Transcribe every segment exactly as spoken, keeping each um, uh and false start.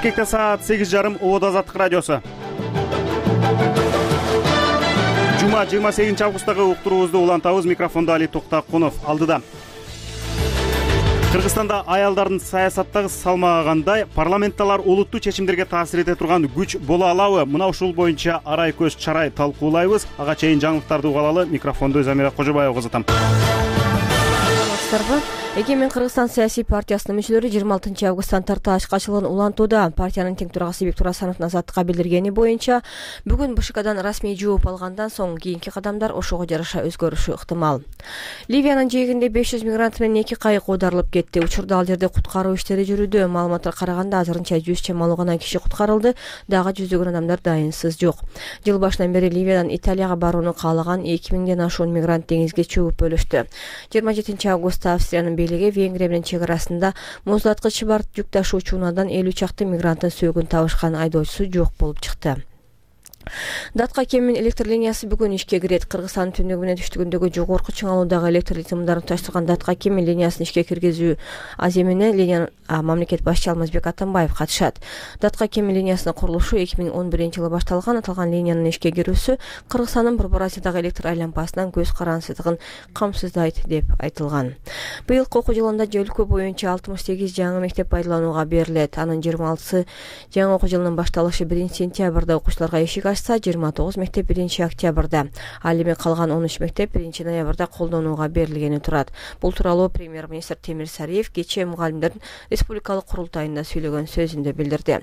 Бишкекте саат сегиз жарым Обод Азаттык радиосу. Жума жыйырма сегизинчи августтагы уктуруубузду улантабыз. Микрофондо Али Токтакунов алдыда. Кыргызстанда аялдардын саясаттагы салмагы кандай, парламентталар улуттуу чечимдерге таасир эте турган күч боло алабы? Мына ушул боюнча арай көз чарай талкуулайбыз. Ага чейин жаңылыктарды угалалы. Микрофонду Замира Кожобаева узатам. Эгемен Кыргызстан саясий партиясынын мүчөлөрү жыйырма алтынчы августтан тарта ачкачылыгын улантууда. Партиянын тең төрагасы Бектур Асановдун Азаттыкка билдиргени боюнча, бүгүн БШКдан расмий жооп алгандан соң кийинки кадамдар ошого жараша өзгөрүшү ыктымал. Ливиянын жээгинде беш жүз мигрант менен эки кайык оодарылып кетти. Учурда ал жерде куткаруу иштери жүрүүдө. Маалыматка караганда азырынча жүз чамалуу гана киши куткарылды, дагы жүздөгөн адамдар дайынсыз жок. Жыл башынан бери Ливиядан Италияга барууну каалаган эки миңден ашуун мигрант деңизге чөгүп өлүштү. жыйырма жетинчи августта Австриянын бийлиги Венгрия менен чек арасында муздаткыч бар жүк ташуучу унаадан элүү чакты мигранттын сөөгүн табышкан айдоочусу жок болуп чыкты. Датка кеминин электр линиясы бүгүн ишке кирет. Кыргызстандын түндүгү менен түштүгүндөгү жогорку чыңалуудагы электр сымдарын туташтырган Датка кемин линиясын ишке киргизүү аземине линиянын мамлекет башчысы Алмазбек Атамбаев катышат. Датка кемин линиясынын курулушу эки миң он биринчи жылы башталган. Аталган линиянын ишке кирүүсү Кыргызстандын Борбор Азиядагы электр айланпасынын көз карансыздыгын камсыздайт деп айтылган. Быйылкы окуу жылында өлкө боюнча алтымыш сегиз жаңы мектеп пайдаланууга берилет. Анын жыйырма алтысы жаңы окуу жылынын башталышы биринчи сентябрда окуучуларга эшик ачса, жыйырма тогуз мектеп биринчи октябрда, ал эми калган он үч мектеп биринчи ноябрда колдонууга берилгени турат. Бул тууралуу премьер-министр Темир Сариев кечээ мугалимдердин республикалык курултайында сүйлөгөн сөзүндө билдирди.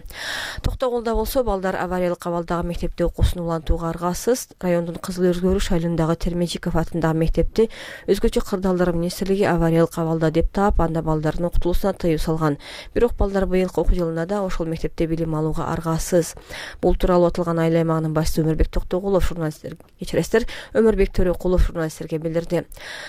Токтогулда болсо балдар авариялык абалдагы мектепте окуусун улантууга аргасыз. Райондун Кызыл Өргөрүш айылындагы Термечиков атындагы мектепти өзгөчө кырдаалдар министрлиги авариялык абалда деп таап, анда балдардын окутулуусуна тыюу салган. Бирок балдар быйылкы окуу жылында да ошол мектепте билим алууга аргасыз. Бул тууралуу аталган айыл аймагынын башчысы Өмөрбек Токтогулов журналисттер кечиресиздер Өмөрбек Төрөкулов журналисттерге билдирди.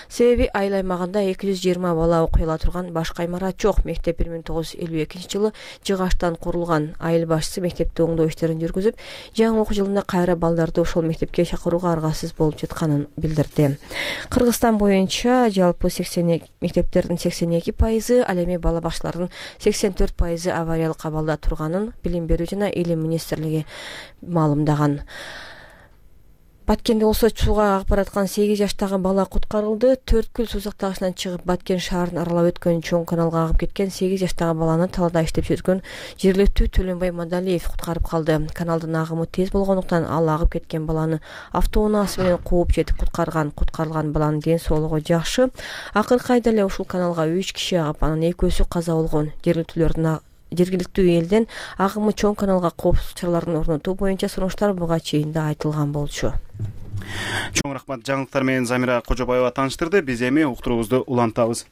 Себеби айыл аймагында эки жүз жыйырма бала окуй ала турган башка имарат жок. Мектеп бир миң тогуз жүз элүү экинчи жылы жыгачтан курулган. Айыл башчысы мектепте оңдоо иштерин жүргүзүп, жаңы окуу жылында кайра балдарды ошол мектепке чакырууга аргасыз болуп жатканын билдирди. Кыргызстан боюнча жалпы сексен мектептердин сексен эки пайызы, ал эми бала бакчалардын сексен төрт пайызы авариялык абалда турганын Билим берүү жана Илим министрлиги маалымдаган. Баткенде болсо сууга агып бараткан сегиз жаштагы бала куткарылды. Төрткүл суу сактагычынан чыгып Баткен шаарын аралап өткөн чоң каналга агып кеткен сегиз жаштагы баланы талаада иштеп жүргөн жергиликтүү Төлөнбай Мадалиев куткарып калды. Каналдын агымы тез болгондуктан ал агып кеткен баланы автоунаасы менен кууп жетип куткарган. Куткарылган баланын ден соолугу жакшы. Акыркы айда эле ушул каналга үч киши агып, анын экөөсү каза болгон. Жергиликтүүлөрдүн жергиликтүү элден агымы чоң каналга коопсуздук чараларын орнотуу боюнча сунуштар буга чейин да айтылган болчу. Чоң рахмат. Жаңылыктар менен Замира Кожобаева тааныштырды. Биз эми уктуруубузду улантабыз.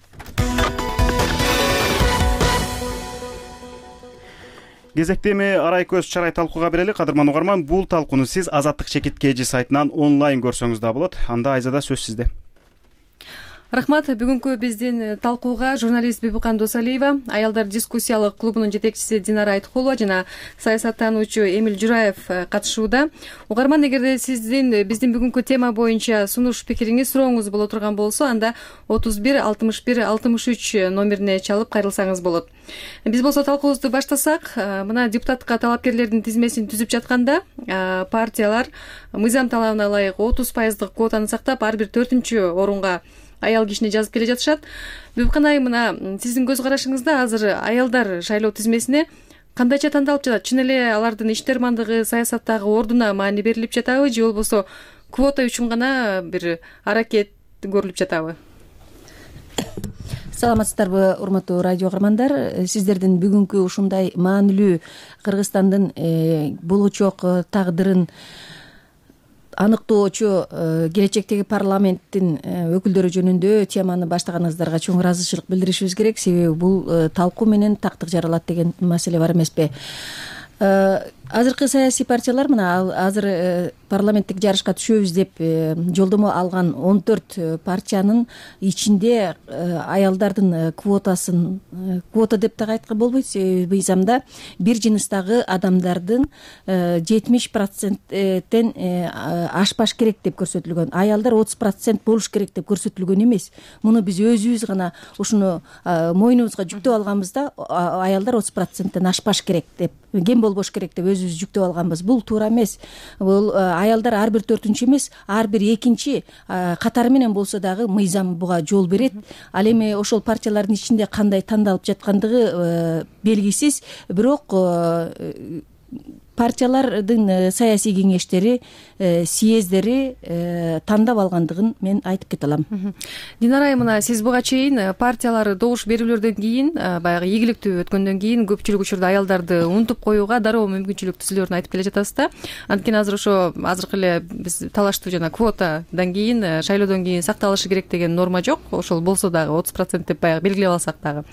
Кезекте эми арай көз чарай талкууга берели. Кадырман угарман, бул талкууну сиз Азаттык чекит кж сайтынан онлайн көрсөңүз да болот. Анда Айзада сөз сизде. Рахмат. Бүгүнкү биздин талкууга журналист Бибикан Досалиева, аялдар дискуссиялык клубунун жетекчиси Динара Айткулова жана саясаттануучу Эмил Жураев катышууда. Угарман, эгерде сиздин биздин бүгүнкү тема боюнча сунуш пикириңиз, сурооңуз боло турган болсо, анда отуз бир алтымыш бир алтымыш үч номерине чалып кайрылсаңыз болот. Биз болсо талкуубузду баштасак, мына депутатка талапкерлердин тизмесин түзүп жатканда партиялар мыйзам талабына ылайык отуз пайыздык квотаны сактап, ар бир төртүнчү орунга аял кишини жазып келе жатышат. Бибикан айым, мына сиздин көз карашыңызда азыр аялдар шайлоо тизмесине кандайча тандалып жатат? Чын эле алардын иштермандыгы, саясаттагы ордуна маани берилип жатабы, же болбосо квота үчүн гана бир аракет көрүлүп жатабы? Саламатсыздарбы, урматтуу радио угармандар. Сиздердин бүгүнкү ушундай маанилүү Кыргызстандын болочок тагдырын аныктоочу келечектеги парламенттин өкүлдөрү жөнүндө теманы баштаганыңыздарга чоң ыраазычылык билдиришибиз керек. Себеби бул талкуу менен тактык жаралат деген маселе бар эмеспи? Азыркы саясий партиялар, мына азыр парламенттик жарышка түшөбүз деп жолдомо алган он төрт партиянын ичинде аялдардын квотасын квота деп дагы айтканга болбойт, себеби мыйзамда бир жыныстагы адамдардын жетимиш проценттен ашпаш керек деп көрсөтүлгөн. Аялдар отуз процент болуш керек деп көрсөтүлгөн эмес. Муну биз өзүбүз гана ушуну мойнубузга жүктөп алганбыз да, аялдар отуз проценттен ашпаш керек деп, кем болбош керек деп өзүбүз жүктөп алганбыз. Бул туура эмес. Бул аялдар ар бир төртүнчү эмес, ар бир экинчи катары менен болсо дагы мыйзам буга жол берет. Ал эми ошол партиялардын ичинде кандай тандалып жаткандыгы белгисиз, бирок партиялардын саясий кеңештери, съездери тандап алгандыгын мен айтып кете алам. Динара айым, мына сиз буга чейин партиялар добуш берүүлөрдөн кийин, баягы ийгиликтүү өткөндөн кийин көпчүлүк учурда аялдарды унутуп коюуга дароо мүмкүнчүлүк түзүлөрүн айтып келе жатасыз да. Анткени азыр ошо азыркы эле биз талаштуу жана квотадан кийин, шайлоодон кийин сакталышы керек деген норма жок. Ошол болсо дагы отуз процент деп баягы белгилеп алсак дагы.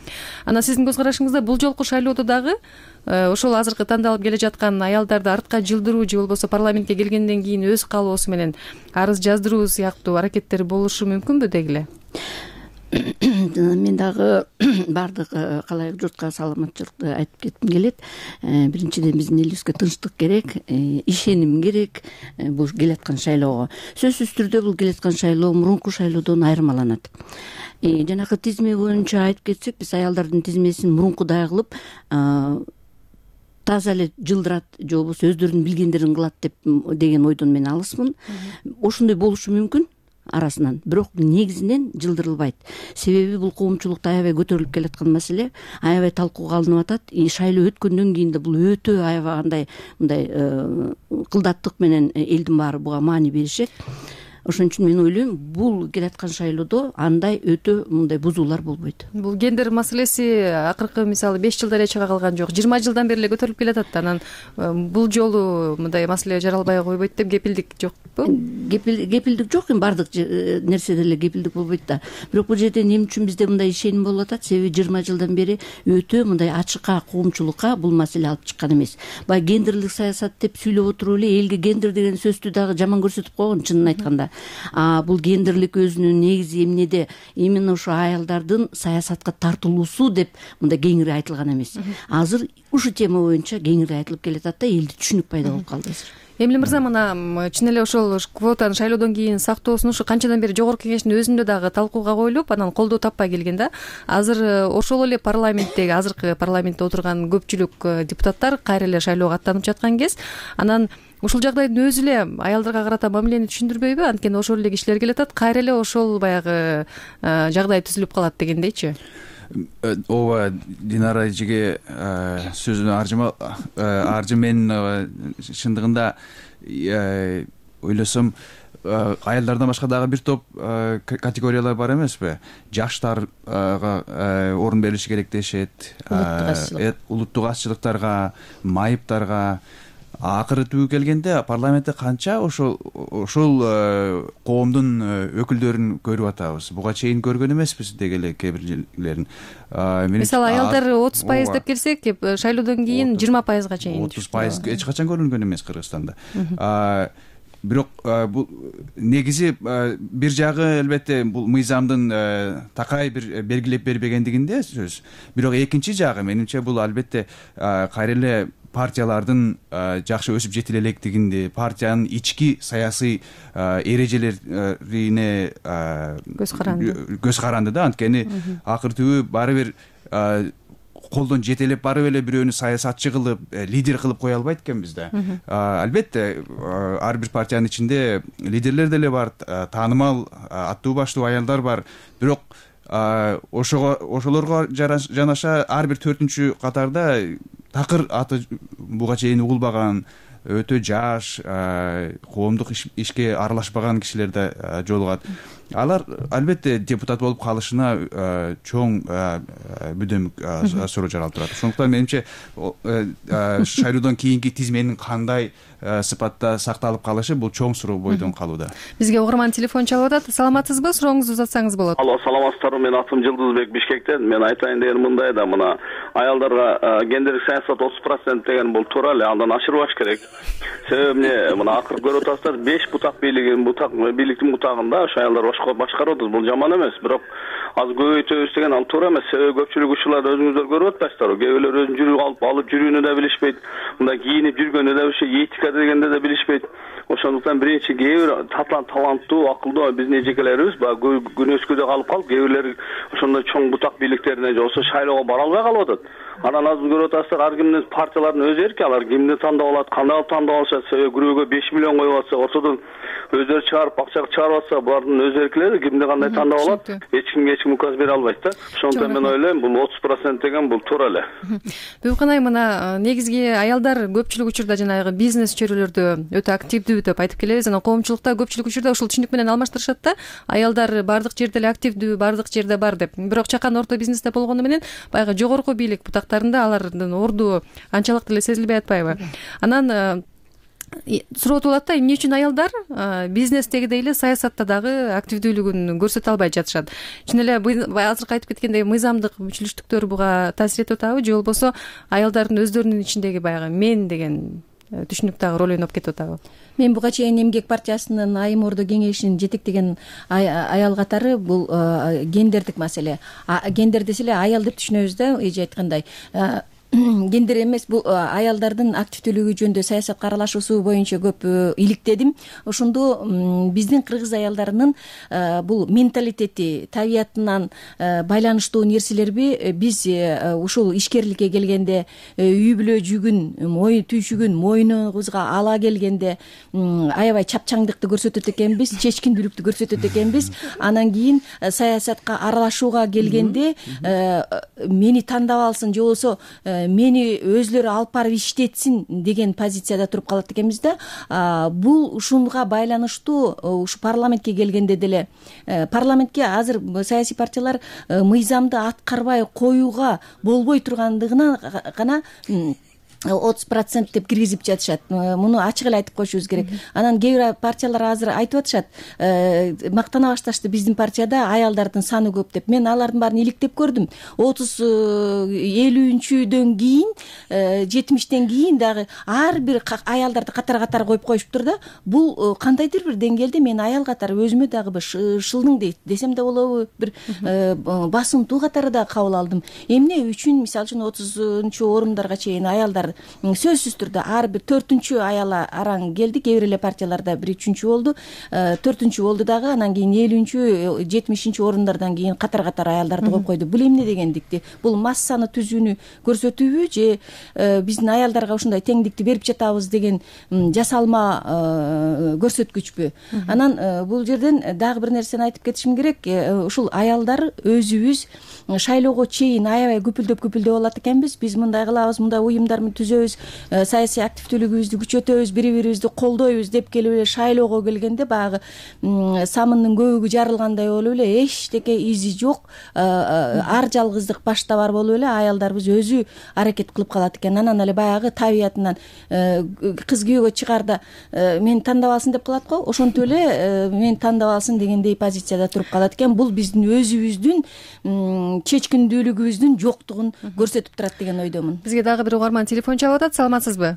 Анан сиздин көз карашыңызда бул жолку шайлоодо дагы ошол азыркы тандалып келе жаткан аялдарды артка жылдыруу же болбосо парламентке келгенден кийин өз каалоосу менен арыз жаздыруу сыяктуу аракеттер болушу мүмкүнбү деги эле? Мен дагы баардык калайык журтка саламатчылыкты айтып кетким келет. Биринчиден биздин элибизге тынчтык керек, ишеним керек бул келаткан шайлоого. Сөзсүз түрдө бул келаткан шайлоо мурунку шайлоодон айырмаланат. Жанакы тизме боюнча айтып кетсек, биз аялдардын тизмесин мурункудай кылып таза эле жылдырат же болбосо өздөрүнүн билгендерин кылат деп деген ойдон мен алысмын. Ошондой болушу мүмкүн арасынан, бирок негизинен жылдырылбайт. Себеби бул коомчулукта аябай көтөрүлүп келаткан маселе, аябай талкууга алынып атат. Шайлоо өткөндөн кийин да бул өтө аябай андай мындай кылдаттык менен элдин баары буга маани беришет. Ошон үчүн мен ойлойм, бул келаткан шайлоодо андай өтө мындай бузуулар болбойт. Бул гендер маселеси акыркы мисалы беш жылда эле чыга калган жок, жыйырма жылдан бери эле көтөрүлүп келатат. Анан бул жолу мындай маселе жаралбай койбойт деп кепилдик жокпу? Кепилдик жок, эми баардык нерседе эле кепилдик болбойт да. Бирок бул жерде эмне үчүн бизде мындай ишеним болуп атат? Себеби жыйырма жылдан бери өтө мындай ачыкка коомчулукка бул маселе алып чыккан эмес. Баягы гендерлик саясат деп сүйлөп отуруп эле элге гендер деген сөздү дагы жаман көрсөтүп койгон, чынын айтканда. А бул гендерлик өзүнүн негизи эмнеде? Именно ошо аялдардын саясатка тартылуусу деп мындай кеңири айтылган эмес. Азыр ушу тема боюнча кеңири айтылып келатат да, элде түшүнүк пайда болуп калды азыр. Эмиль мырза, мына чын эле ошол квотаны шайлоодон кийин сактоосун ушу канчадан бери жогорку кеңештин өзүндө дагы талкууга коюлуп, анан колдоо таппай келген да. Азыр ошол эле парламенттеги, азыркы парламентте отурган көпчүлүк депутаттар кайра эле шайлоого аттанып жаткан кез, анан ушул жагдайдын өзү эле аялдарга карата мамилени түшүндүрбөйбү? Анткени ошол эле кишилер келатат, кайра эле ошол баягы жагдай түзүлүп калат дегендейчи. Ооба, Динара эжеге сөзүн аржы. Мен чындыгында ойлосом, аялдардан башка дагы бир топ категориялар бар эмеспи? Жаштарга орун берилиши керек дешет, улуттук азчылыктарга, майыптарга. Акыры түбү келгенде парламентте канча ошол ошол коомдун өкүлдөрүн көрүп атабыз. Буга чейин көргөн эмеспиз деги эле кээ бирлерин. Мисалы аялдар отуз пайыз деп келсек, шайлоодон кийин жыйырма пайызга чейин. отуз пайыз эч качан көрүнгөн эмес Кыргызстанда. Бирок бул негизи бир жагы элбетте бул мыйзамдын такай бир белгилеп бербегендигинде сөз. Бирок экинчи жагы менимче бул албетте кайра эле партиялардын жакшы өсүп жетиле электигинде, партиянын ички саясий эрежелерине көз каранды. Көз каранды да, анткени акыр түбү баары бир колдон жетелеп барып эле бирөөнү саясатчы кылып, лидер кылып кое албайт экенбиз да. Албетте, ар бир партиянын ичинде лидерлер деле бар, таанымал аттуу баштуу аялдар бар. Бирок ошого ошолорго жанаша ар бир төртүнчү катарда такыр аты буга чейин угулбаган, өтө жаш, коомдук ишке аралашпаган кишилер да жолугат. Алар албетте депутат болуп калышына чоң бүдөмүк суроо жаралып турат. Ошондуктан менимче шайлоодон кийинки тизменин кандай сыпатта сакталып калышы бул чоң суроо бойдон калууда. Бизге угарман телефон чалып атат. Саламатсызбы? Сурооңузду узатсаңыз болот. Алло, саламатсыздарбы? Мен атым Жылдызбек, Бишкектен. Мен айтайын деген мындай да, мына аялдарга гендерлик саясат отуз процент деген бул туура эле, андан ашырбаш керек. себеби эмне мына акыркы көрүп атасыздар, беш бутак бийлиги бутак бийликтин бутагында ошо аялдар башкарып атат. Бул жаман эмес, бирок азыр көбөйтөбүз деген ал туура эмес. Себеби көпчүлүк учурларда өзүңүздөр көрүп атпайсыздарбы? Кээ бирлер өзүнүн жүрүп алып алып жүрүүнү да билишпейт, мындай кийинип жүргөнү да билишпейт, этика дегенди да билишпейт. Ошондуктан биринчи кээ бир таланттуу, акылдуу биздин эжекелерибиз баягы күнөөскөдө калып калып, кээ бирлер ошондой чоң бутак бийликтерине же болбосо шайлоого бара албай калып атат. Анан азыр көрүп атасыздар, ар кимдин партиялардын өз эрки, алар кимди тандап алат, кандай кылып тандап алышат. Себеби күрөөгө беш миллион коюп атса, ортодон өздөрү чыгарып акча чыгарып атса, булардын өз эркилери, кимди кандай тандап алат, эч кимге эч ким указ бере албайт да. Ошондуктан мен ойлойм, бул отуз процент деген бул туура эле. Бибикан айым, мына негизги аялдар көпчүлүк учурда жанагы бизнес чөйрөлөрдө өтө активдүү деп айтып келебиз. Анан коомчулукта көпчүлүк учурда ушул түшүнүк менен алмаштырышат да. Аялдар бардык жерде эле активдүү, бардык жерде бар деп. Бирок чакан орто бизнесте болгону менен баягы жогорку бийлик бутактарында алардын орду анчалык деле сезилбей атпайбы? Анан суроо болот да, эмне үчүн аялдар бизнестегидей эле саясатта дагы активдүүлүгүн көрсөтө албай жатышат? Чын эле азыркы айтып кеткендей мыйзамдык мүчөлүштүктөр буга таасир этип атабы, же болбосо аялдардын өздөрүнүн ичиндеги баягы мен деген түшүнүк дагы роль ойноп кетип атабы? Мен буга чейин Эмгек партиясынын Айым Ордо кеңешин жетектеген аял катары бул гендердик маселе. Гендер десе эле аял деп түшүнөбүз да, эже айткандай. Гендер эмес, бул аялдардын активдүүлүгү жөнүндө саясатка аралашуусу боюнча көп иликтедим. Ошондо биздин кыргыз аялдарынын бул менталитети, табиятынан байланыштуу нерселерби биз ушул ишкерликке келгенде, үй бүлө жүгүн, мой түйшүгүн мойнубузга ала келгенде аябай чапчаңдыкты көрсөтөт экенбиз, чечкиндүүлүктү көрсөтөт экенбиз. Анан кийин саясатка аралашууга келгенде мени тандап алсын, же болбосо мени өзлөрү алып барып иштетсин деген позицияда туруп калат экенбиз да. Бул ушунга байланыштуу ушу парламентке келгенде деле парламентке азыр саясий партиялар мыйзамды аткарбай коюуга болбой тургандыгына гана отуз процент деп киргизип жатышат. Муну ачык эле айтып коюшубуз керек. Анан кээ бир партиялар азыр айтып атышат, мактана башташты биздин партияда аялдардын саны көп деп. Мен алардын баарын иликтеп көрдүм. отуз элүүнчүдөн кийин, жетимиштен кийин дагы ар бир аялдарды катар-катар коюп коюшуптур да. Бул кандайдыр бир деңгээлде мен аял катары өзүмө дагы бир шылдың дейт десем да болобу, бир басымтуу катары да кабыл алдым. Эмне үчүн мисалы үчүн отузунчу орундарга чейин аялдар сөзсүз түрдө ар бир төртүнчү аял араң келди, кээ бир эле партияларда бир үчүнчү болду, төртүнчү болду дагы, анан кийин элүүнчү, жетимишинчи орундардан кийин катар-катар аялдарды коюп койду. Бул эмне дегендикти? Бул массаны түзүүнү көрсөтүүбү, же биздин аялдарга ушундай теңдикти берип жатабыз деген жасалма көрсөткүчпү? Анан бул жерден дагы бир нерсени айтып кетишим керек. Ушул аялдар өзүбүз шайлоого чейин аябай күпүлдөп-күпүлдөп алат экенбиз. Биз мындай кылабыз, мындай уюмдар түзөбүз, саясий активдүүлүгүбүздү күчөтөбүз, бири-бирибизди колдойбуз деп келип эле шайлоого келгенде баягы самындын көбүгү жарылгандай болуп эле эчтеке изи жок, ар жалгыздык башта бар болуп эле аялдарыбыз өзү аракет кылып калат экен. Анан эле баягы табиятынан кыз күйөөгө чыгарда мени тандап алсын деп калат го, ошентип эле мени тандап алсын дегендей позицияда туруп калат экен. Бул биздин өзүбүздүн чечкиндүүлүгүбүздүн жоктугун көрсөтүп турат деген ойдомун. Бизге дагы бир угарман телефон чалып атат. Саламатсызбы?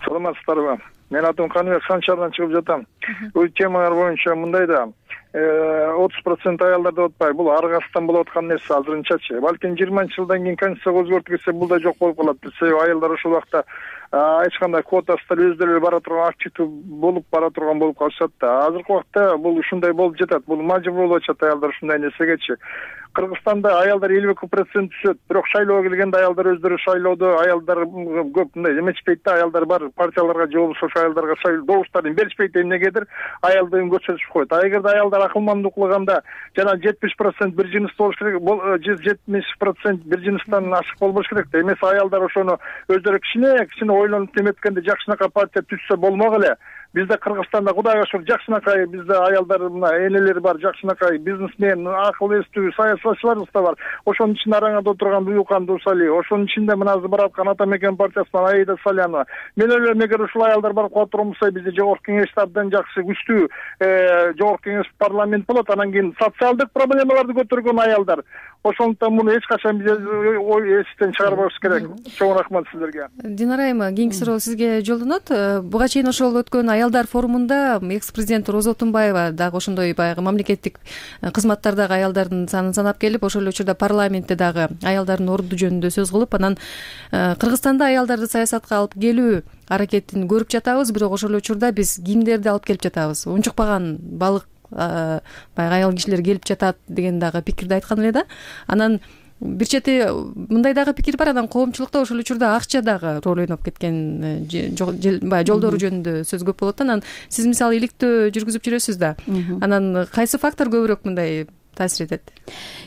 Саламатсыздарбы? Мен атым Каныбек, Сан шаарынан чыгып жатам. Бул темалар боюнча мындай да, отуз процент аялдар деп атпайбы, бул ар кайсыдан болуп аткан нерсе азырынчачы. Балким жыйырманчы жылдан кийин конституцияга өзгөртүлсө бул да жок болуп калат. Себеби аялдар ошол убакта эч кандай квотасыздар өздөрү бара турган, активдүү болуп бара турган болуп калышат да. Азыркы убакта бул ушундай болуп жатат. Бул мажбур болуп атышат аялдар ушундай нерсегечи. Кыргызстанда аялдар элүү эки процент түшөт. Бирок шайлоого келгенде аялдар өздөрү шайлоодо, аялдар көп мындай эметишпейт да, аялдар бар партияларга же болбосо аялдарга шайлоо добуштарын беришпейт, эмнегедир аялдыгын көрсөтүшүп коет. А эгерде аялдар акылмандуу кылганда жана жетимиш процент бир жыныстуу болуш керек, жетимиш процент бир жыныстан ашык болбош керек да. Эмес аялдар ошону өздөрү кичине кичине ойлонуп эметкенде жакшынакай партия түзсө болмок эле. Бизде Кыргызстанда Кудайга шүкүр жакшынакай бизде аялдар мына энелер бар, жакшынакай бизнесмен, акыл эстүү саясатчыларыбыз да бар. Ошонун ичинде араңада отурган Буюкан Дусалиев, ошонун ичинде мына азыр барып аткан Ата Мекен партиясынан Аида Салянова. Мен ойлойм, эгер ушул аялдар барып кала турган болсо, бизде жогорку кеңеште абдан жакшы күчтүү жогорку кеңеш парламент болот. Анан кийин социалдык проблемаларды көтөргөн аялдар, ошондуктан муну эч качан биз ой эстен чыгарбашыбыз керек. Чоң рахмат сиздерге. Динара айым, кийинки суроо сизге жолдонот. Буга чейин ошол өткөн аялдар форумунда экс президент Роза Отунбаева дагы ошондой баягы мамлекеттик кызматтардагы аялдардын санын санап келип, ошол эле учурда парламентте дагы аялдардын орду жөнүндө сөз кылып, анан Кыргызстанда аялдарды саясатка алып келүү аракетин көрүп жатабыз, бирок ошол учурда биз кимдерди алып келип жатабыз? Унчукпаган балык баягы аял кишилер келип жатат деген дагы пикирди айткан эле да. Анан бир чети мындай дагы пикир бар, анан коомчулукта ошол учурда акча дагы роль ойноп кеткен, баягы жолдору жөнүндө сөз көп болот да. Анан сиз мисалы иликтөө жүргүзүп жүрөсүз да. Анан кайсы фактор көбүрөөк мындай таасир этет?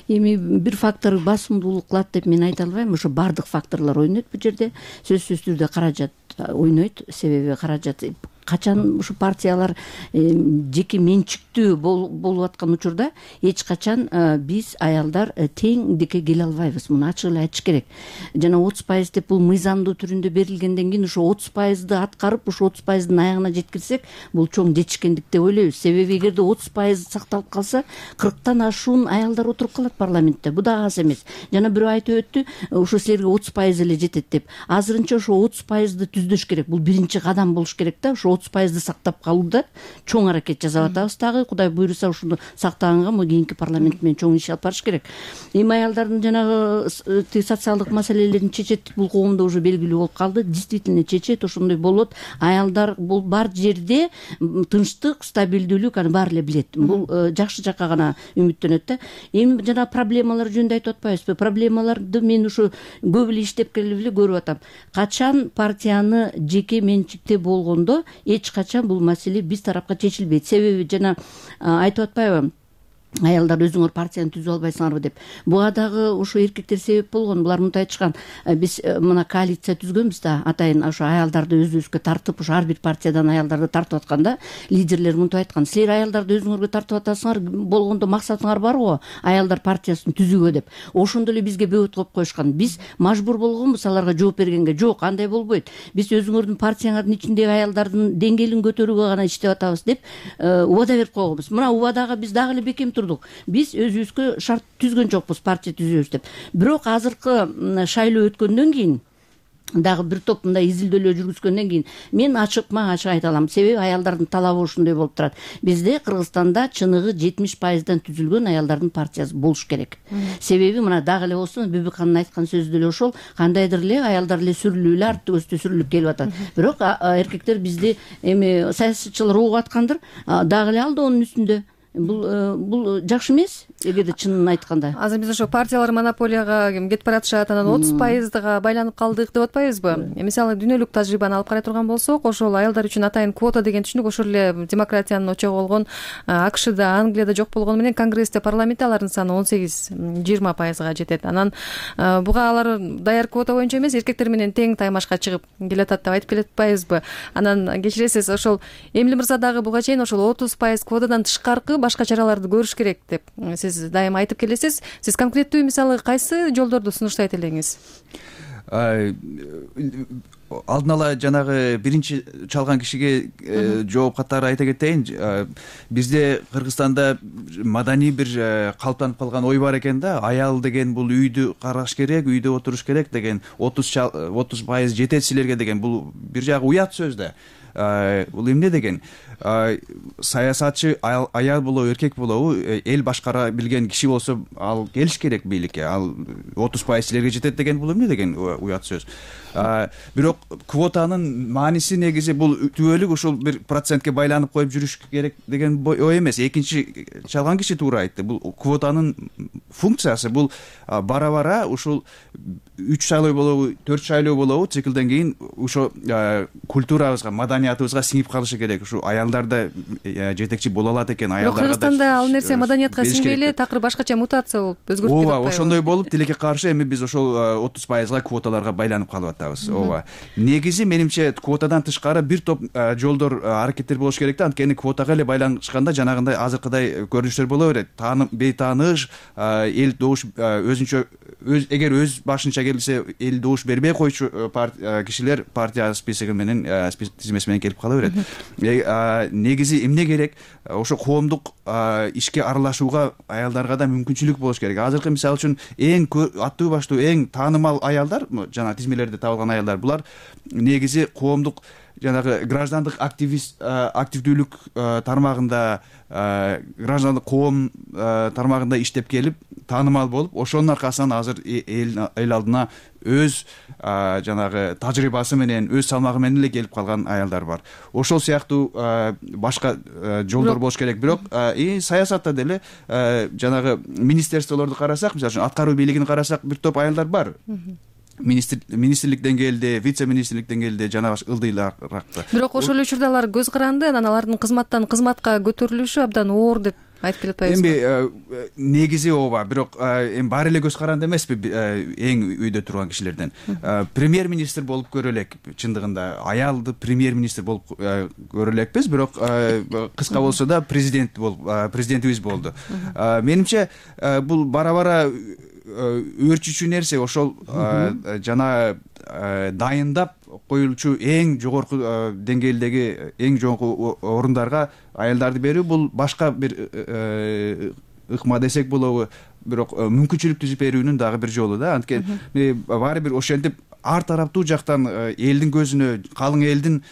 Эми бир фактор басымдуулук кылат деп мен айта албайм. Ошо бардык факторлор ойнойт бул жерде. Сөзсүз түрдө каражат ойнойт. Себеби каражат качан ушу партиялар жеке менчиктүү болуп аткан учурда эч качан биз аялдар теңдикке келе албайбыз. Муну ачык эле айтыш керек. Жана отуз пайыз деп бул мыйзамдуу түрүндө берилгенден кийин ошо отуз пайызды аткарып, ошо отуз пайыздын аягына жеткирсек, бул чоң жетишкендик деп ойлойбуз. Себеби эгерде отуз пайыз сакталып калса, кырктан ашуун аялдар отуруп калат парламентте. Бу да аз эмес. Жана бирөө айтып өттү, ошо силерге отуз пайыз эле жетет деп. Азырынча ошо отуз пайызды түздөш керек. Бул биринчи кадам болуш керек да. Ошо отуз пайызды сактап калууда чоң аракет жасап атабыз. Дагы Кудай буйруса ушуну сактаганга мо кийинки парламент менен чоң иш алып барыш керек. Эми аялдардын жанагы социалдык маселелерин чечет, бул коомдо уже белгилүү болуп калды. Действительно чечет, ошондой болот. Аялдар бул бар жерде тынчтык, стабилдүүлүк аны баары эле билет. Бул жакшы жакка гана үмүттөнөт да. Эми жана проблемалар жөнүндө айтып атпайбызбы? Проблемаларды мен ушу көп эле иштеп келип эле көрүп атам. Качан партияны жеке менчикте болгондо эч качан бул маселе биз тарапка чечилбейт. Себеби жана айтып атпайбы, аялдар өзүңөр партияны түзүп албайсыңарбы деп. Буга дагы ошо эркектер себеп болгон. Булар мынтип айтышкан: биз мына коалиция түзгөнбүз да, атайын ошо аялдарды өзүбүзгө тартып, ошо ар бир партиядан аялдарды тартып атканда, лидерлер мынтип айткан: силер аялдарды өзүңөргө тартып атасыңар, болгондо максатыңар барбы аялдар партиясын түзүүгө деп. Ошондо эле бизге бөгөт коюп коюшкан. Биз мажбур болгонбуз аларга жооп бергенге. Жок, андай болбойт. Биз өзүңөрдүн партияңардын ичиндеги аялдардын деңгээлин көтөрүүгө гана иштеп атабыз деп убада берип койгонбуз. Мына убадага биз дагы эле бекем турдук. Биз өзүбүзгө шарт түзгөн жокпуз партия түзөбүз деп. Бирок азыркы шайлоо өткөндөн кийин, дагы бир топ мындай изилдөөлөр жүргүзгөндөн кийин мен ачыкма ачык айта алам. Себеби аялдардын талабы ушундай болуп турат. Бизде Кыргызстанда чыныгы жетимиш пайыздан түзүлгөн аялдардын партиясы болуш керек. Себеби мына дагы эле болсо Бүбүкхандын айткан сөзү деле ошол, кандайдыр эле аялдар эле сүрүлүп эле арт көстө сүрүлүп келип атат. Бирок эркектер бизди эми саясатчылар угуп аткандыр, дагы эле алдоонун үстүндө. Бул бул жакшы эмес, эгерде чынын айтканда. Азыр биз ошо партиялар монополияга кетип баратышат, анан отуз пайызга байланып калдык деп атпайбызбы? Мисалы дүйнөлүк тажрыйбаны алып карай турган болсок, ошол аялдар үчүн атайын квота деген түшүнүк ошол эле демократиянын очогу болгон АКШда, Англияда жок болгону менен Конгрессте, парламентте алардын саны он сегиз жыйырма пайызга жетет. Анан буга алар даяр квота боюнча эмес, эркектер менен тең таймашка чыгып келатат деп айтып келатпайбызбы? Анан кечиресиз, ошол Эмиль мырза дагы буга чейин ошол отуз пайыз квотадан тышкаркы башка чараларды көрүш керек деп сиз дайыма айтып келесиз. Сиз конкреттүү мисалы кайсы жолдорду сунуштайт элеңиз? Алдын ала жанагы биринчи чалган кишиге жооп катары айта кетейин. Бизде Кыргызстанда маданий бир калыптанып калган ой бар экен да, аял деген бул үйдү караш керек, үйдө отуруш керек деген, отуз пайыз жетет силерге деген. Бул бир жагы уят сөз да. Бул эмне деген? Саясатчы аял болобу, эркек болобу, эл башкара билген киши болсо ал келиш керек бийликке. Ал отуз пайыз силерге жетет деген бул эмне деген уят сөз. Бирок квотанын мааниси негизи бул түбөлүк ушул бир процентке байланып коюп жүрүш керек деген ой эмес. Экинчи чалган киши туура айтты. Бул квотанын функциясы бул бара-бара ушул үч шайлоо болобу, төрт шайлоо болобу, циклден кийин ошо культурабызга, маданиятыбызга сиңип калышы керек. Ушу аялдарда жетекчи боло алат экен, аялдарга да. Кыргызстанда ал нерсе маданиятка сиңбей эле такыр башкача мутация болуп өзгөрүп кетип атпайбы? Ооба, ошондой болуп тилекке каршы эми биз ошол отуз пайызга квоталарга байланып калып атабыз. Ооба. Негизи менимче квотадан тышкары бир топ жолдор, аракеттер болуш керек да. Анткени квотага эле байланышканда жанагындай азыркыдай көрүнүштөр боло берет. Таанып, бейтааныш, эл добуш өзүнчө өз эгер өз башынча келсе элди уш бербей койчу кишилер партия списоги менен тизмеси менен келип кала берет. Негизи эмне керек? Ошо коомдук ишке аралашууга аялдарга да мүмкүнчүлүк болуш керек. Азыркы мисалы үчүн эң аттуу баштуу эң таанымал аялдар, жана тизмелерде табылган аялдар, булар негизи коомдук жанагы граждандык активист активдүүлүк тармагында, граждандык коом тармагында иштеп келип таанымал болуп, ошонун аркасынан азыр эл алдына өз жанагы тажрыйбасы менен, өз салмагы менен эле келип калган аялдар бар. Ошол сыяктуу башка жолдор болуш керек. Бирок саясатта деле жанагы министерстволорду карасак, мисалы үчүн аткаруу бийлигин карасак, бир топ аялдар бар. Министрлик деңгээлде, вице-министрлик деңгээлде жана ылдыйлаакта. Бирок ошол учурда алар көз каранды, анан алардын кызматтан кызматка көтөрүлүшү абдан оор деп айтып келатпайбызбы? Эми негизи ооба, бирок эми баары эле көз каранды эмеспи эң үйдө турган кишилерден. Премьер-министр болуп көрө элек, чындыгында аялды премьер-министр болуп көрө элекпиз, бирок кыска болсо да президент болуп, президентибиз болду. Менимче бул бара-бара өөрчүчү нерсе ошол жана дайындап коюлчу эң жогорку деңгээлдеги эң жогорку орундарга аялдарды берүү, бул башка бир ыкма десек болобу, бирок мүмкүнчүлүк түзүп берүүнүн дагы бир жолу да. Анткени баары бир ошентип ар тараптуу жактан элдин көзүнө, калың элдин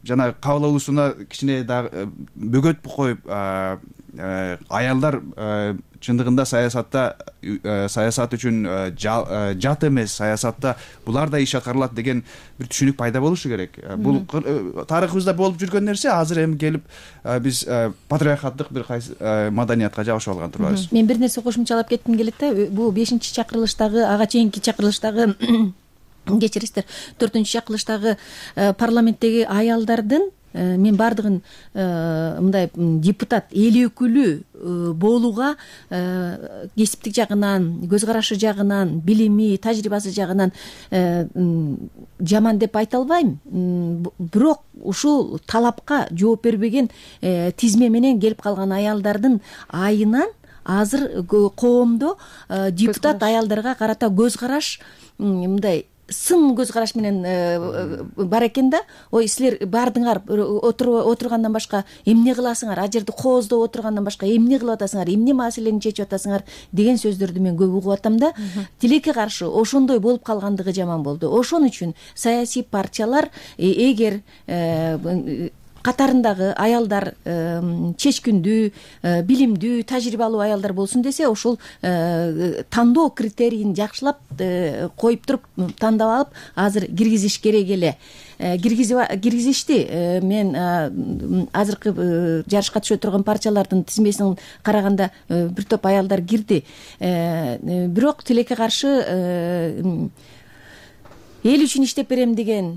жана кабыл алуусуна кичине дагы бөгөт коюп, аялдар чындыгында саясатта саясат үчүн жат эмес, саясатта булар да иш аткарылат деген бир түшүнүк пайда болушу керек. Бул тарыхыбызда болуп жүргөн нерсе, азыр эми келип биз патриархаттык бир кайсы маданиятка жабышып алган турбайбыз. Мен бир нерсе кошумчалап кетким келет да. Бул бешинчи чакырылыштагы, ага чейинки чакырылыштагы кечирисиздер, төртүнчү чакырылыштагы парламенттеги аялдардын мен баардыгын мындай депутат эл өкүлү болууга кесиптик жагынан, көз карашы жагынан, билими, тажрыйбасы жагынан жаман деп айта албайм. Бирок ушул талапка жооп бербеген тизме менен келип калган аялдардын айынан азыр коомдо депутат аялдарга карата көз караш мындай сын көз караш менен бар экен да. Ой, силер баардыгыңар отургандан башка эмне кыласыңар, а жерде кооздоп отургандан башка эмне кылып атасыңар, эмне маселени чечип атасыңар деген сөздөрдү мен көп угуп атам да. Тилекке каршы ошондой болуп калгандыгы жаман болду. Ошон үчүн саясий партиялар эгер катарындагы аялдар чечкиндүү, билимдүү, тажрыйбалуу аялдар болсун десе, ошол тандоо критерийин жакшылап коюп туруп, тандап алып, азыр киргизиш керек эле. Киргизишти. Мен азыркы жарышка түшө турган партиялардын тизмесин караганда бир топ аялдар кирди. Бирок тилекке каршы эл үчүн иштеп берем деген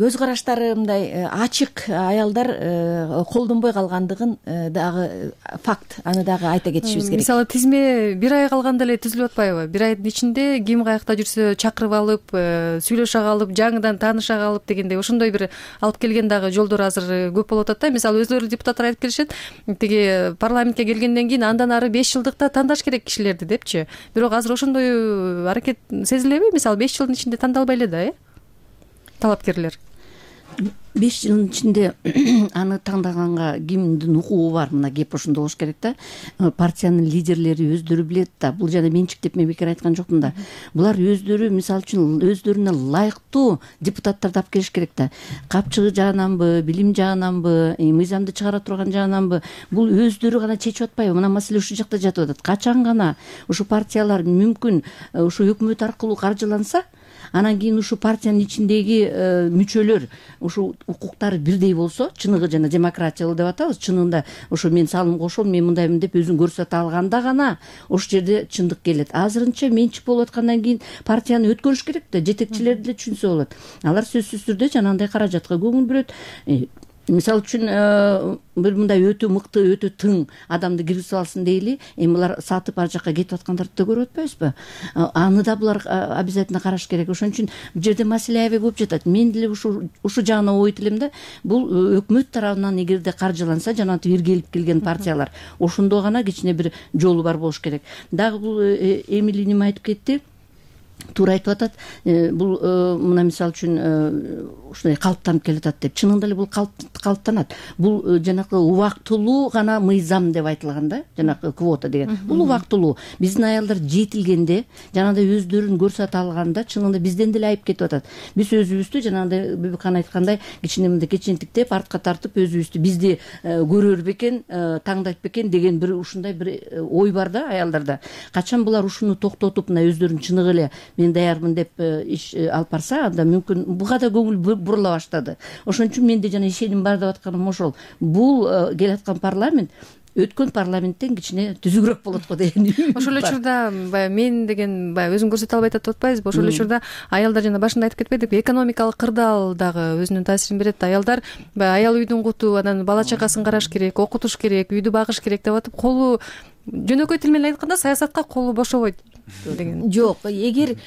көз караштары мындай ачык аялдар колдонбой калгандыгын дагы факт. Аны дагы айта кетишибиз керек. Мисалы тизме бир ай калганда эле түзүлүп атпайбы? Бир айдын ичинде ким каякта жүрсө чакырып алып, сүйлөшө калып, жаңыдан тааныша калып дегендей ошондой бир алып келген дагы жолдор азыр көп болуп атат да. Мисалы өздөрү депутаттар айтып келишет, тиги парламентке келгенден кийин андан ары беш жылдыкта тандаш керек кишилерди депчи. Бирок азыр ошондой аракет сезилеби? Мисалы беш жылдын ичинде тандалбай эле да, э? Талапкерлер беш жылдын ичинде аны таңдаганга кимдин укугу бар? Мына кеп ошондо болуш керек да. Партиянын лидерлери өздөрү билет да. Бул жана менчиктеп мен бекер айткан жокмун да. Булар өздөрү мисалы үчүн өздөрүнө ылайыктуу депутаттарды алып келиш керек да. Капчыгы жагынанбы, билим жагынанбы, мыйзамды чыгара турган жагынанбы, бул өздөрү гана чечип атпайбы? Мына маселе ушул жакта жатып атат. Качан гана ушу партиялар мүмкүн ушу өкмөт аркылуу каржыланса, анан кийин ушу партиянын ичиндеги мүчөлөр ушу укуктары бирдей болсо, чыныгы жана демократиялуу деп атабыз, чынында ошо мен салым кошом, мен мындаймын деп өзүн көрсөтө алганда гана ошол жерде чындык келет. Азырынча менчик болуп аткандан кийин партияны өткөрүш керек да, жетекчилер деле түшүнсө болот. Алар сөзсүз түрдө жанагындай каражатка көңүл бөлөт. мисалы үчүн бир мындай өтө мыкты өтө тың адамды киргизип алсын дейли, эми булар сатып ар жака кетип аткандарды да көрүп атпайбызбы? Аны да булар обязательно караш керек. Ошон үчүн бул жерде маселе аябай көп жатат. Мен деле ушу ушу жагына ойт элем да, бул өкмөт тарабынан эгерде каржыланса, жанагынтип иргелип келген партиялар, ошондо гана кичине бир жолу бар болуш керек. Дагы бул Эмили неме айтып кетти? Туура айтып атат. Бул мына мисалы үчүн ушундай калыптанып келатат деп. Чынында эле бул калыптанат. Бул жанакы убактылуу гана мыйзам деп айтылган да, жанакы квота деген. Бул убактылуу. Биздин аялдар жетилгенде, жанагындай өздөрүн көрсөтө алганда, чынында бизден деле айып кетип атат. Биз өзүбүздү жанагындай Бибикан айткандай кичине мындай кечентиктеп, артка тартып өзүбүздү бизди көрөр бекен, таңдайт бекен деген бир ушундай бир ой бар да аялдарда. Качан булар ушуну токтотуп, мына өздөрүн чыныгы эле мен даярмын деп иш алып барса, анда мүмкүн буга да көңүл бурула баштады. Ошон үчүн менде жана ишеним бар деп атканым ошол. Бул келаткан парламент өткөн парламенттен кичине түзүгүрөөк болот го деген. Ошол эле учурда баягы мен деген баягы өзүн көрсөтө албайт деп атпайбызбы? Ошол эле учурда аялдар жана башында айтып кетпедикпи, экономикалык кырдаал дагы өзүнүн таасирин берет. Аялдар баягы аял үйдүн куту, анан бала чакасын караш керек, окутуш керек, үйдү багыш керек деп атып, колу жөнөкөй тил менен айтканда саясатка колу бошобойт деген. Жок, эгер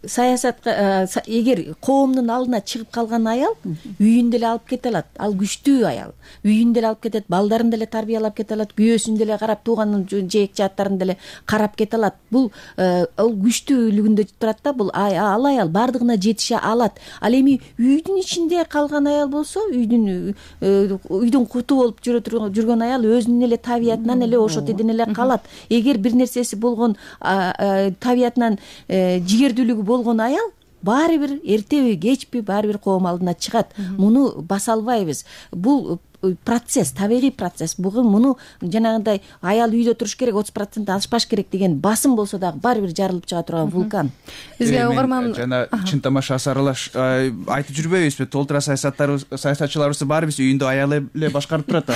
саясатка эгер коомдун алдына чыгып калган аял үйүн деле алып кете алат. Ал күчтүү аял. Үйүн деле алып кетет, балдарын деле тарбиялап кете алат, күйөөсүн деле карап, тууганын жээк жааттарын деле карап кете алат. Бул ал күчтүүлүгүндө турат да. Бул ал аял бардыгына жетише алат. Ал эми үйдүн ичинде калган аял болсо, үйдүн үйдүн куту болуп жүргөн аял өзүнүн эле табиятынан эле ошо теден эле калат. Эгер бир нерсеси болгон табиятынан жигердүүлүгү болгон аял баары бир эртеби кечпи баары бир коом алдына чыгат. Муну баса албайбыз. Бул процесс, табигый процесс. Бугун муну жанагындай аял үйдө туруш керек, отуз процент ашпаш керек деген басым болсо дагы баары бир жарылып чыга турган вулкан. Бизге угарман жана чын тамаша сарылаш айтып жүрбөйбүзбү? Толтура саясаттар саясатчыларыбыз баарыбыз үйүндө аял эле башкарып турат.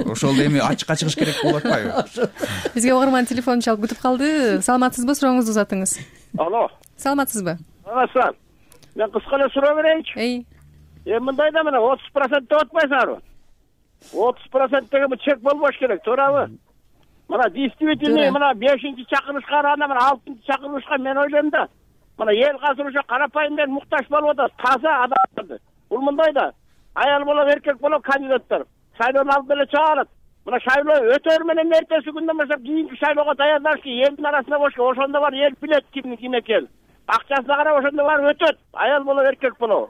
Ошол эми ачыкка чыгыш керек болуп атпайбы? Бизге угарман телефон чалып күтүп калды. Саламатсызбы? Сурооңузду узатыңыз. Алло. Саламатсызбы? Саламатсызбы. Мен кыска эле суроо берейинчи. Эй. Эми мындай да, мына отуз процент деп атпайсыңарбы? отуз процент деген бул чек болбош керек, туурабы? Мына действительный мына бешинчи чакырылышка караганда мына алтынчы чакырылышка мен ойлойм да. Мына эл азыр уже карапайым мен муктаж болуп атат, таза адамдарды. Бул мындай да. Аял болобу, эркек болобу кандидаттар шайлоонун алдына эле чыга алат. Мына шайлоо өтөр менен эртеси күндөн баштап кийинки шайлоого даярдаш ки элдин арасында болуш керек. Ошондо бар эл билет кимдин ким экенин. Акчасына карап ошондо бар өтөт. Аял болобу, эркек болобу.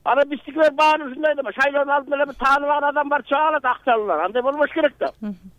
Ана биздикилер баары ушундай да, шайлоонун алдына эле бир тааныбаган адам бар чыга алат, акчалуулар. Андай болбош керек да.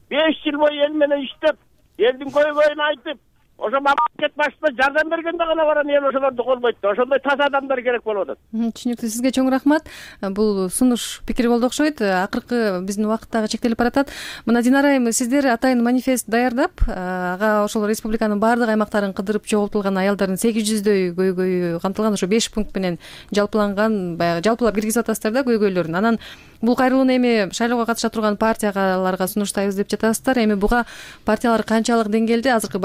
беш жыл бою эл менен иштеп, элдин көйгөйүн айтып, ошо мамлекет башчысына жардам бергенде гана баран эл ошолорду колбойт да. Ошондой таза адамдар керек болуп атат. Түшүнүктүү. Сизге чоң рахмат. Бул сунуш пикир болду окшойт. Акыркы биздин убакыт дагы чектелип баратат. Мына Динара айым, сиздер атайын манифест даярдап, ага ошол республиканын баардык аймактарын кыдырып чогултулган аялдардын сегиз жүздөй көйгөйү камтылган, ошо беш пункт менен жалпыланган, баягы жалпылап киргизип атасыздар да көйгөйлөрүн. Анан бул кайрылууну эми шайлоого катыша турган партияларга сунуштайбыз деп жатасыздар. Эми буга партиялар канчалык деңгээлде азыркы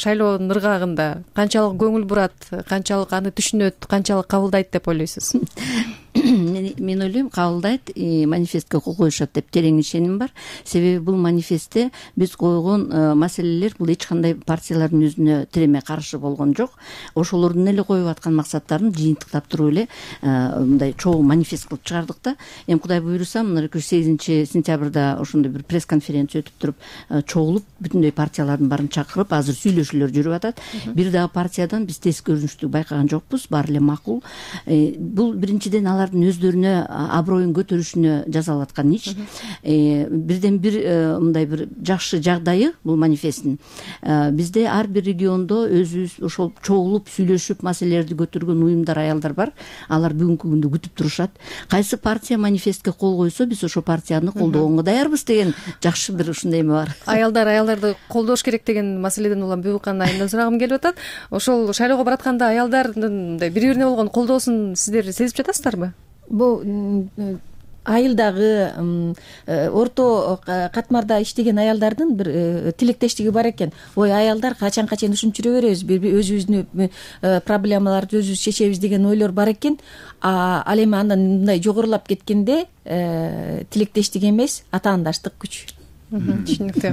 шайлоонун ыргагында канчалык көңүл бурат, канчалык аны түшүнөт, канчалык кабылдайт деп ойлойсуз? Мен ойлойм, кабылдайт, манифестке кол коюшат деп терең ишеним бар. Себеби бул манифестте биз койгон маселелер бул эч кандай партиялардын өзүнө тиреме каршы болгон жок. Ошолордун эле коюп аткан максаттарын жыйынтыктап туруп эле мындай чогуу манифест кылып чыгардык да. Эми Кудай буйруса, мына эки жүз сегизинчи сентябрда ошондой бир пресс-конференция өтүп туруп, чогулуп бүтүндөй партиялардын баарын чакырып, азыр сүйлөшүүлөр жүрүп атат. Бир дагы партиядан биз тез көрүнүштү байкаган жокпуз, баары эле макул. Бул биринчиден алардын өздөрүнө аброюн көтөрүшүнө жасалып аткан иш. Бирден бир мындай бир жакшы жагдайы бул манифесттин. Бизде ар бир региондо өзүбүз ошол чогулуп сүйлөшүп маселелерди көтөргөн уюмдар, аялдар бар. Алар бүгүнкү күндө күтүп турушат. Кайсы партия манифестке кол койсо, биз ошол партияны колдогонго даярбыз деген жакшы бир ушундай эме бар. Аялдар аялдарды колдош керек деген маселеден улам Бибикан айымдан сурагым келип атат. Ошол шайлоого баратканда аялдардын бири бирине болгон колдоосун сиздер сезип жатасыздарбы? Бул айылдагы орто катмарда иштеген аялдардын бир тилектештиги бар экен. Ой, аялдар качанга чейин ушинтип жүрө беребиз, өзүбүздүн проблемаларды өзүбүз чечебиз деген ойлор бар экен. Ал эми андан мындай жогорулап кеткенде тилектештик эмес, атаандаштык күч. Түшүнүктүү.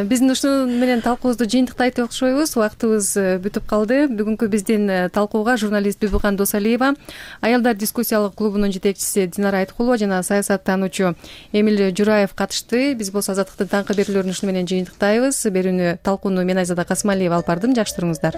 Биздин ушуну менен талкуубузду жыйынтыктайт окшойбуз. Убактыбыз бүтүп калды. Бүгүнкү биздин талкууга журналист Бибикан Досалиева, аялдар дискуссиялык клубунун жетекчиси Динара Айткулова жана саясаттануучу Эмиль Жураев катышты. Биз болсо азаттыктын таңкы берүүлөрүн ушуну менен жыйынтыктайбыз. Берүүнү талкууну мен Айзада Касымалиева алып бардым. Жакшы туруңуздар.